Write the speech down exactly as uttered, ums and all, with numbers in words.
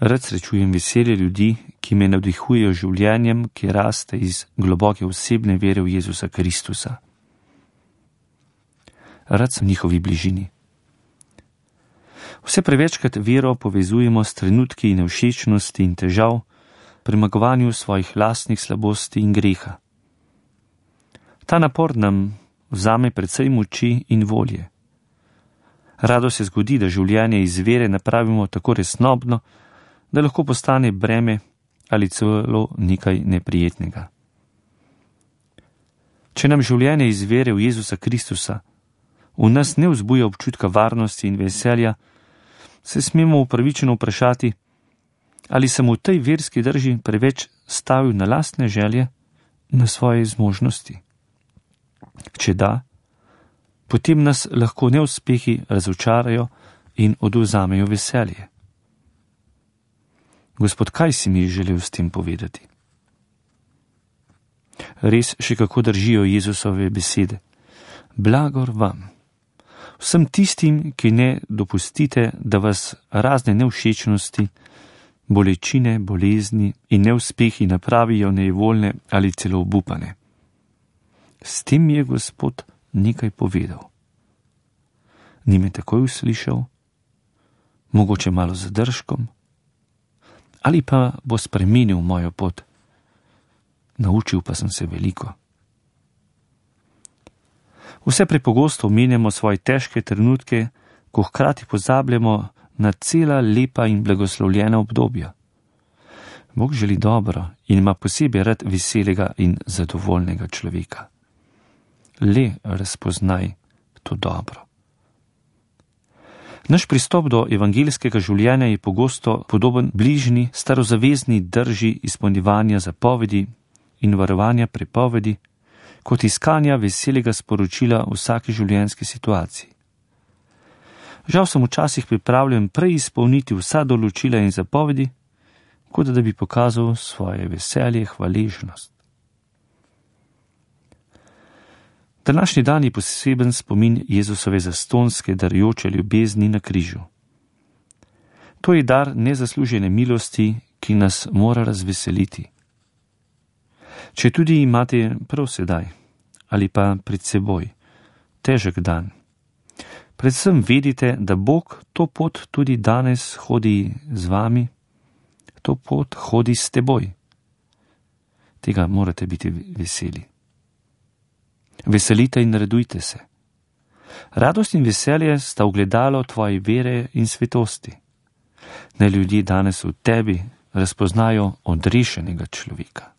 Rad srečujem veselje ljudi, ki me navdihujejo življenjem, ki raste iz globoke osebne vere v Jezusa Kristusa. Rad sem v njihovi bližini. Vse prevečkrat vero povezujemo s trenutki nevšečnosti in težav, premagovanju svojih lastnih slabosti in greha. Ta napor nam vzame precej moči in volje. Rado se zgodi, da življenje iz vere napravimo tako resnobno, da lahko postane breme ali celo nekaj neprijetnega. Če nam življenje iz vere v Jezusa Kristusa v nas ne vzbuja občutka varnosti in veselja, se smemo upravičeno vprašati, ali sem v tej verski drži preveč stavil na lastne želje, na svoje zmožnosti. Če da, potem nas lahko neuspehi razočarajo in odvzamejo veselje. Gospod, kaj si mi želel s tem povedati? Res še kako držijo Jezusove besede. Blagor vam, vsem tistim, ki ne dopustite, da vas razne nevšečnosti, bolečine, bolezni in neuspehi napravijo nejevoljne ali celo obupane. S tem je Gospod nekaj povedal. Ni me takoj uslišal, mogoče malo z zadržkom, ali pa bo spremenil mojo pot. Naučil pa sem se veliko. Vse prepogosto omenjamo svoje težke trenutke, ko hkrati pozabljamo na cela lepa in blagoslovljena obdobja. Bog želi dobro in ima posebej rad veselega in zadovoljnega človeka. Le razpoznaj to dobro. Naš pristop do evangeljskega življenja je pogosto podoben bližnji starozavezni drži izpolnjevanja zapovedi in varovanja prepovedi, kot iskanja veselega sporočila v vsaki življenjski situaciji. Žal sem včasih pripravljen prej izpolniti vsa določila in zapovedi, kot da bi pokazal svoje veselje, hvaležnost. Današnji dan je poseben spomin Jezusove zastonske darujoče ljubezni na križu. To je dar nezaslužene milosti, ki nas mora razveseliti. Če tudi imate prav sedaj ali pa pred seboj težek dan, predvsem vedite, da Bog to pot tudi danes hodi z vami, to pot hodi s teboj. Tega morate biti veseli. Veselite in radujte se. Radost in veselje sta ogledalo tvoje vere in svetosti. Naj ljudje danes v tebi razpoznajo odrešenega človeka.